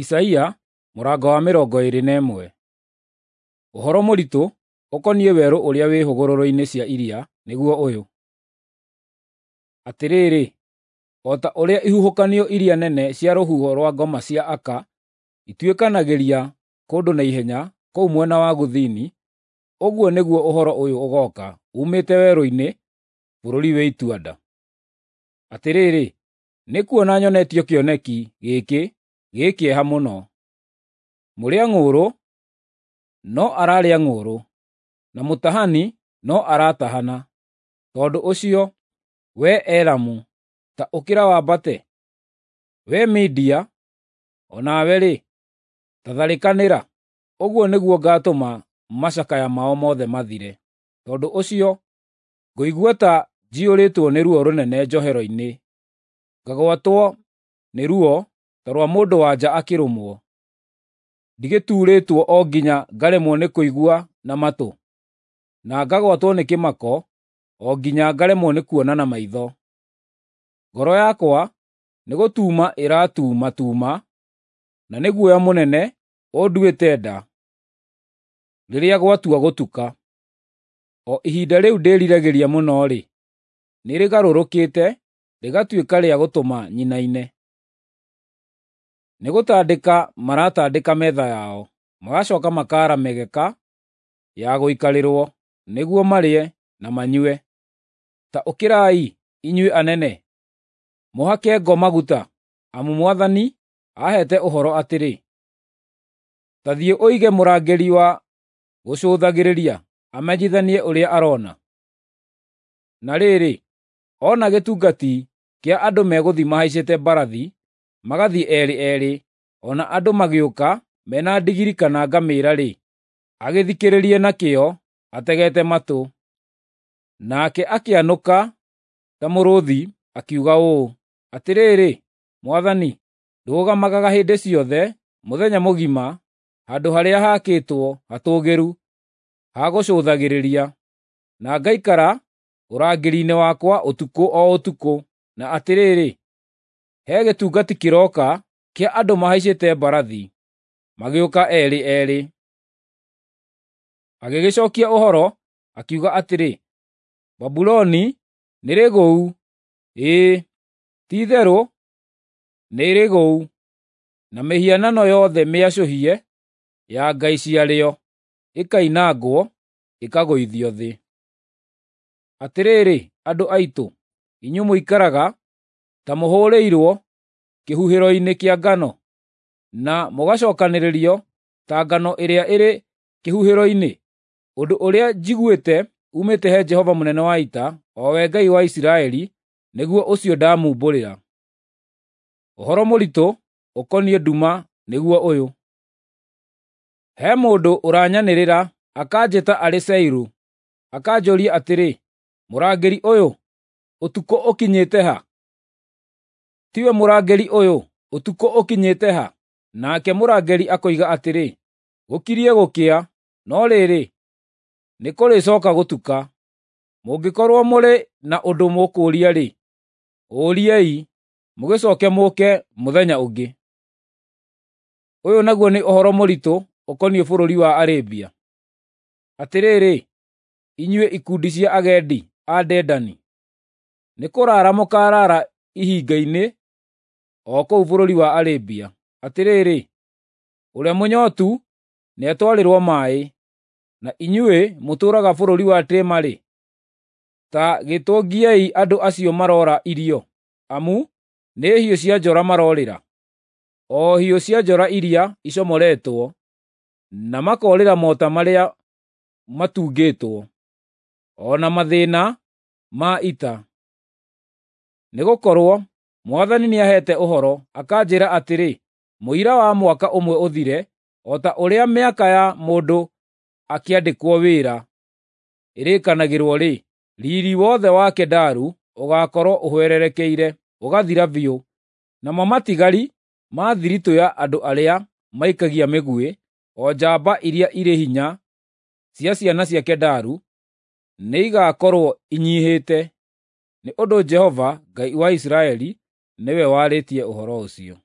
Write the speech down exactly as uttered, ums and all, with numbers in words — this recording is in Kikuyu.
Isaia mũrango wa mĩrongo ĩĩrĩ na ĩmwe. Ũhoro mũritũ ũkoniĩ werũ ũrĩa wĩ hũgũrũrũ-inĩ cia iria nĩguo ũyũ: Atĩrĩrĩ, o ta ũrĩa ihuhũkanio iria nene cia rũhuho rwa ngoma cia aka ituĩkanagĩria kũndũ na ihenya kũu mwena wa gũthini, ũguo nĩguo ũhoro ũyũ ũgooka uumĩte werũ-inĩ, bũrũri wĩ itua-nda. Atĩrĩrĩ, nĩkuona nyonetio kĩoneki gĩkĩ gĩ kĩeha mũno: Mũrĩa-ng'ũũrũ no ararĩa ng'ũũrũ, na mũtahani no aratahana. Tondũ ũcio, wee Elamu, ta ũkĩra wambate; wee Media, o nawe-rĩ, ta tharĩkanĩra! Ũguo nĩguo ngaatũma macakaya mao mothe mathire. Tondũ ũcio ngũigua ta njiyũrĩtwo nĩ ruo rũnene njohero-inĩ, ngagwatwo nĩ ruo ta rwa mũndũ-wa-nja akĩrũmwo. Ndigĩtuurĩtwo o nginya ngaremwo nĩ kũigua na matũ, na ngagwatwo nĩ kĩmako o nginya ngaremwo nĩ kuona na maitho. Ngoro yakwa nĩgũtuuma ĩratuumatuuma, na nĩ guoya mũnene ũnduĩte nda rĩrĩa gwatua gũtuka. O ihinda rĩu ndĩriragĩria mũno-rĩ, nĩrĩgarũrũkĩte rĩgatuĩka rĩa gũtũma nyinaine. Nĩgũtandĩka maratandĩka metha yao, magacooka makaara mĩgeka ya gũikarĩrwo nĩguo marĩe na manyue. Ta ũkĩrai, inyuĩ anene, mũhake ngo maguta, amu Mwathani aheete ũhoro atĩrĩ: Ta thiĩ ũige mũrangĩri wa gũcũthagĩrĩria amenyithanie ũrĩa arona. Na rĩrĩ, ona gĩtungati kĩa andũ megũthiĩ mahaicĩte mbarathi, magathiĩ eerĩ eerĩ, o na andũ magĩũka mena ndigiri kana ngamĩĩra-rĩ, agĩthikĩrĩrie na kĩyo ategete matũ. Nake akĩanũka ta mũrũũthi, akiuga ũũ, “Atĩrĩrĩ, Mwathani, ndũgamaga hĩndĩ ciothe mũthenya mũgima handũ harĩa haakĩtwo hatũũgĩru ha gũcũthagĩrĩria, na ngaikara ũrangĩri-inĩ wakwa ũtukũ o ũtukũ. Na atĩrĩrĩ, he gĩtungati kĩroka kĩa andũ mahaicĩte mbarathi, magĩũka eerĩ eerĩ.” Agĩgĩcookia ũhoro, akiuga atĩrĩ, “Babuloni nĩrĩgũu, ĩĩ, ti-itherũ nĩrĩgũu, na mĩhianano yothe mĩacũhie ya ngai ciarĩo ĩkoinangwo, ĩkagũithio thĩ. Atĩrĩrĩ, andũ aitũ, inyuĩ mũikaraga ta mũhũrĩirwo kĩhuhĩro-inĩ kĩa ngano, na mũgacookanĩrĩrio ta ngano ĩrĩa ĩrĩ kĩhuhĩro-inĩ, ũndũ ũrĩa njiguĩte uumĩte he Jehova mũnene wa ita, o we Ngai wa Isiraeli, nĩguo ũcio ndamumbũrĩra. Ũhoro mũritũ ũkoniĩ nduma nĩguo ũyũ: He mũndũ ũranyanĩrĩra akanjĩta arĩ Seiru, akanjũũria atĩrĩ, “Mũrangĩri ũyũ, ũtukũ ũkinyĩte ha?” Tiwe mũrangĩri ũyũ, ũtukũ ũkinyĩte ha? Nake mũrangĩri akoiga atĩrĩ, “Gũkirie gũkĩa, no rĩrĩ, nĩkũrĩcooka gũtuka. Mũngĩkorwo mũrĩ na ũndũ mũkũũria-rĩ, ũũriei, mũgĩcooke mũũke mũthenya ũngĩ.” Ũyũ naguo nĩ ũhoro mũritũ ũkoniĩ bũrũri wa Arabia: Atĩrĩrĩ, inyuĩ ikundi cia agendi a Dedani, nĩkũraara mũkaaraara ihinga-inĩ o kũu bũrũri wa Arabia. Atĩrĩrĩ, ũrĩa mũnyootu nĩatwarĩrwo maaĩ, na inyuĩ mũtũũraga bũrũri wa Tema-rĩ, ta gĩtũngiei andũ acio maroora irio, amu nĩ hiũ cia njora maroorĩra, o hiũ cia njora iria icomoretwo, na makoorĩra mota marĩa matungĩtwo, o na mathĩĩna ma ita. Nĩgũkorwo Mwathani nĩaheete ũhoro, akanjĩĩra atĩrĩ, “Mũira wa mwaka ũmwe ũthire, o ta ũrĩa mĩaka ya mũndũ akĩandĩkwo wĩra ĩrĩkanagĩrwo-rĩ, riiri wothe wa Kedaru ũgaakorwo ũhwererekeire, ũgathira biũ, namo matigari ma thiritũ ya andũ arĩa maikagia mĩguĩ, o njamba iria irĩ hinya cia ciana cia Kedaru, nĩigakorwo inyiihĩte.” Nĩ ũndũ Jehova, Ngai wa Isiraeli, nĩwe warĩtie ũhoro ũcio.